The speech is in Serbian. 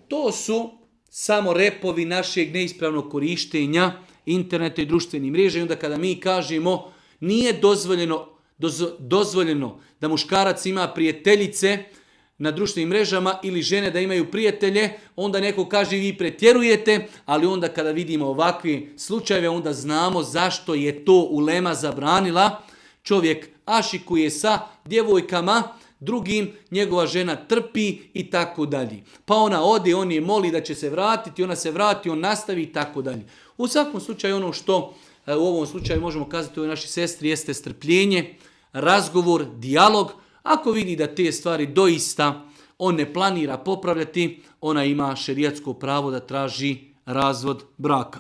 To su samo repovi našeg neispravnog korištenja interneta i društvenih mreža. I onda kada mi kažemo nije dozvoljeno da muškarac ima prijateljice na društvenim mrežama ili žene da imaju prijatelje, onda neko kaže vi pretjerujete, ali onda kada vidimo ovakve slučajeve, onda znamo zašto je to ulema zabranila. Čovjek ašikuje sa djevojkama, drugim, njegova žena trpi i tako dalje. Pa ona ode, on je moli da će se vratiti, ona se vrati, on nastavi i tako dalje. U svakom slučaju ono što u ovom slučaju možemo kazati ovoj našoj sestri jeste strpljenje, razgovor, dijalog. Ako vidi da te stvari doista on ne planira popravljati, ona ima šerijatsko pravo da traži razvod braka.